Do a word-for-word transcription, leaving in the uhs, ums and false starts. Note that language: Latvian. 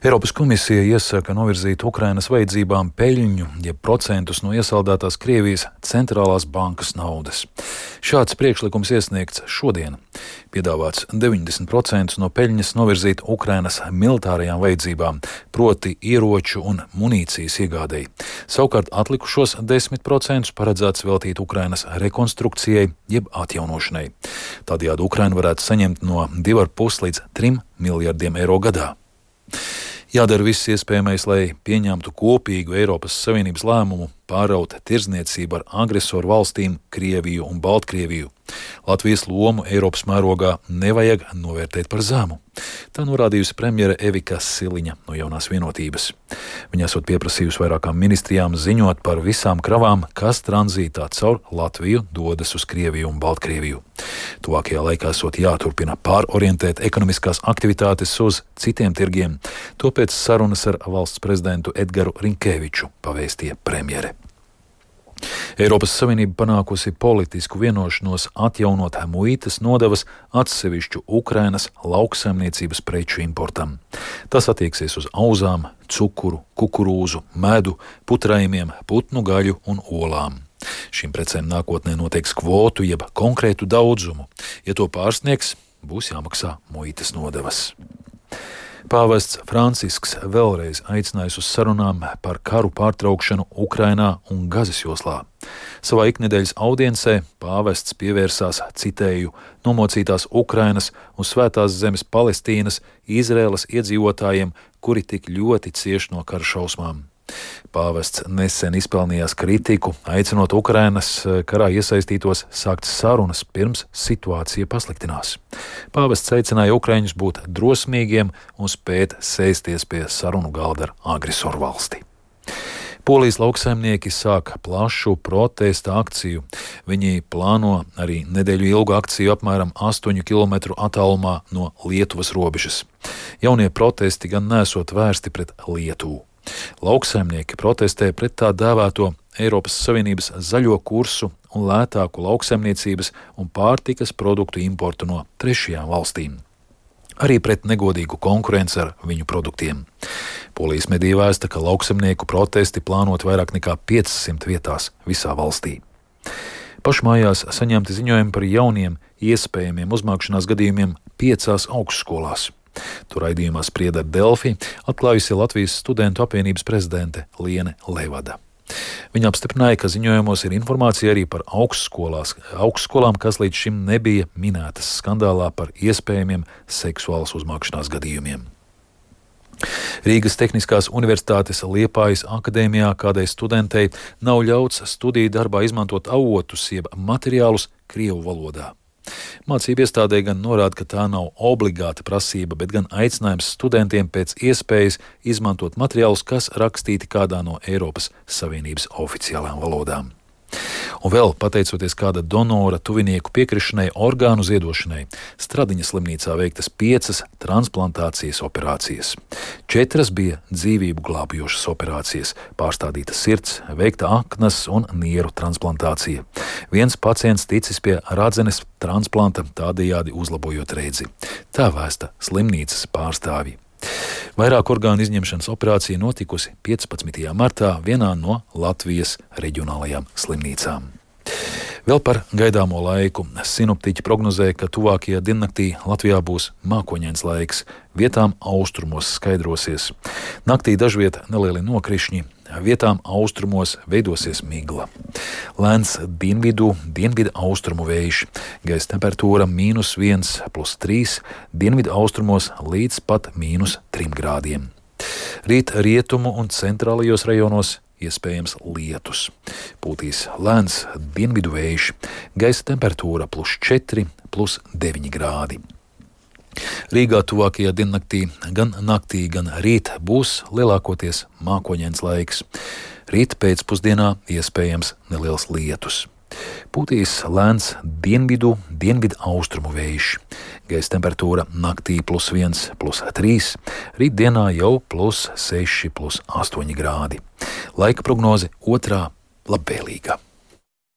Eiropas komisija iesaka novirzīt Ukrainas vajadzībām peļņu, jeb procentus no iesaldētās Krievijas centrālās bankas naudas. Šāds priekšlikums iesniegts šodien. Piedāvāts deviņdesmit procentus no peļņas novirzīt Ukrainas militārajām vajadzībām, proti ieroču un munīcijas iegādei. Savukārt atlikušos desmit procentus paredzēts veltīt Ukrainas rekonstrukcijai, jeb atjaunošanai. Tādējādi Ukraina varētu saņemt no divi ar pus līdz trim miljardiem eiro gadā. Jādara viss iespējamais, lai pieņemtu kopīgu Eiropas Savienības lēmumu pāraut tirdzniecību ar agresoru valstīm Krieviju un Baltkrieviju. Latvijas lomu Eiropas mērogā nevajag novērtēt par zemu. Tā norādījusi premjere Evika Siliņa no Jaunās vienotības. Viņa esot pieprasījusi vairākām ministrijām ziņot par visām kravām, kas tranzītā caur Latviju dodas uz Krieviju un Baltkrieviju. Tuvākajā laikā esot jāturpina pārorientēt ekonomiskās aktivitātes uz citiem tirgiem. Topēc sarunas ar valsts prezidentu Edgaru Rinkēviču pavēstīja premjere. Eiropas Savienība panākusi politisku vienošanos atjaunot muitas nodevas atsevišķu Ukrainas lauksaimniecības preču importam. Tas attieksies uz auzām, cukuru, kukurūzu, medu, putrājumiem, putnu gaļu un olām. Šīm precēm nākotnē noteiks kvotu jeb konkrētu daudzumu. Ja to pārsniegs, būs jāmaksā muitas nodevas. Pāvests Francisks vēlreiz aicinājis uz sarunām par karu pārtraukšanu Ukrainā un Gazas joslā. Savā iknedēļas audiencē pāvests pievērsās, citēju, nomocītās Ukrainas un Svētās zemes Palestīnas, Izraēlas iedzīvotājiem, kuri tik ļoti cieš no kara šausmām. Pāvests nesen izpelnījās kritiku, aicinot Ukrainas karā iesaistītos sākt sarunas pirms situācija pasliktinās. Pāvests aicināja ukraiņus būt drosmīgiem un spēt sēsties pie sarunu galda ar agresoru valsti. Polijas lauksaimnieki sāk plašu protesta akciju. Viņi plāno arī nedēļu ilgu akciju apmēram astoņu kilometru attālumā no Lietuvas robežas. Jaunie protesti gan nesot vērsti pret Lietuvu. Lauksaimnieki protestē pret tā dēvēto Eiropas Savienības zaļo kursu un lētāku lauksaimniecības un pārtikas produktu importu no trešajām valstīm. Arī pret negodīgu konkurenci ar viņu produktiem. Polijas mediji vēsta, ka lauksaimnieku protesti plānot vairāk nekā piecsimt vietās visā valstī. Pašmājās saņemti ziņojumi par jauniem iespējamiem uzmākšanās gadījumiem piecās augstskolās. Tur raidījumā Sprieda ar Delfi atklājusi Latvijas studentu apvienības prezidente Liene Levada. Viņa apstiprināja, ka ziņojumos ir informācija arī par augstskolām, kas līdz šim nebija minētas skandālā par iespējamiem seksuālas uzmākšanās gadījumiem. Rīgas Tehniskās universitātes Liepājas akadēmijā kādai studentei nav ļauts studiju darbā izmantot avotus jeb materiālus krievu valodā. Mācību iestādē gan norāda, ka tā nav obligāta prasība, bet gan aicinājums studentiem pēc iespējas izmantot materiālus, kas rakstīti kādā no Eiropas Savienības oficiālām valodām. Un vēl, pateicoties kāda donora tuvinieku piekrišanai orgānu ziedošanai, Stradiņa slimnīcā veiktas piecas transplantācijas operācijas. Četras bija dzīvību glābjošas operācijas, pārstādīta sirds, veikta aknas un nieru transplantācija. Viens pacients ticis pie radzenes transplanta, tādējādi uzlabojot redzi. Tā vēsta slimnīcas pārstāvji. Vairāk orgānu izņemšanas operācija notikusi piecpadsmitajā martā vienā no Latvijas reģionālajām slimnīcām. Vēl par gaidāmo laiku. Sinoptiķi prognozē, ka tuvākajā diennaktī Latvijā būs mākoņains laiks, vietām austrumos skaidrosies. Naktī dažviet nelieli nokrišņi, vietām austrumos veidosies migla. Lēns dienvidu, dienvidu austrumu vējš, gaisa temperatūra mīnus viens plus trīs, dienvidu austrumos līdz pat mīnus trim grādiem. Rīt rietumu un centrālajos rajonos iespējams lietus. Pūtīs lēns dienvidu vējš, gaisa temperatūra plus četri, plus deviņi grādi. Rīgā tuvākajā diennaktī gan naktī, gan rīt būs lielākoties mākoņains laiks. Rīt pēcpusdienā iespējams neliels lietus. Pūtīs lēns dienvidu, dienvidu austrumu vējš. Gaisa temperatūra naktī plus viens, plus trīs, rītdienā jau plus seši, plus astoņi grādi. Laika prognoze otrā labvēlīga.